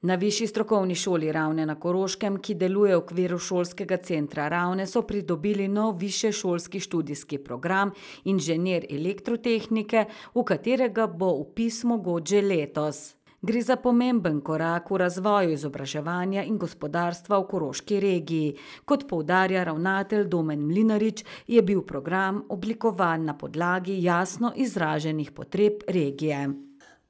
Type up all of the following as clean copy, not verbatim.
Na Višji strokovni šoli Ravne na Koroškem, ki deluje v okviru šolskega centra Ravne, so pridobili nov višješolski študijski program Inženir elektrotehnike, v katerega bo vpis mogoč že letos. Gre za pomemben korak v razvoju izobraževanja in gospodarstva v koroški regiji. Kot poudarja ravnatelj Domen Mlinarič, je bil program oblikovan na podlagi jasno izraženih potreb regije.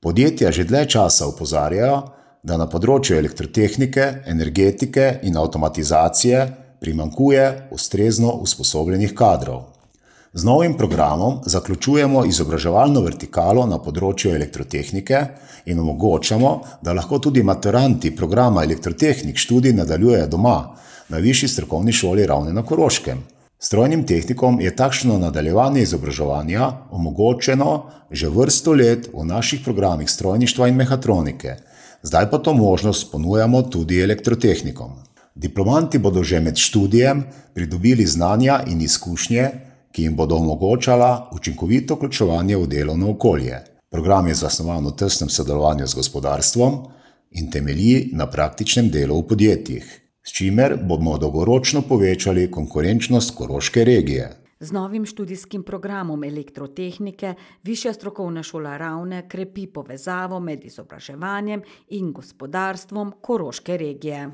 Podjetja že dlje časa opozarjajo, da na področju elektrotehnike, energetike in avtomatizacije primanjkuje ustrezno usposobljenih kadrov. Z novim programom zaključujemo izobraževalno vertikalo na področju elektrotehnike in omogočamo, da lahko tudi maturanti programa elektrotehnik študij nadaljujejo doma na Višji strokovni šoli Ravne na Koroškem. Strojnim tehnikom je takšno nadaljevanje izobraževanja omogočeno že vrsto let v naših programih strojništva in mehatronike. Zdaj pa to možnost ponujamo tudi elektrotehnikom. Diplomanti bodo že med študijem pridobili znanja in izkušnje, ki jim bodo omogočala učinkovito vključevanje v delovno okolje. Program je zasnovan v tesnem sodelovanju z gospodarstvom in temelji na praktičnem delu v podjetjih, s čimer bomo dolgoročno povečali konkurenčnost koroške regije. Z novim študijskim programom elektrotehnike Višja strokovna šola Ravne krepi povezavo med izobraževanjem in gospodarstvom koroške regije.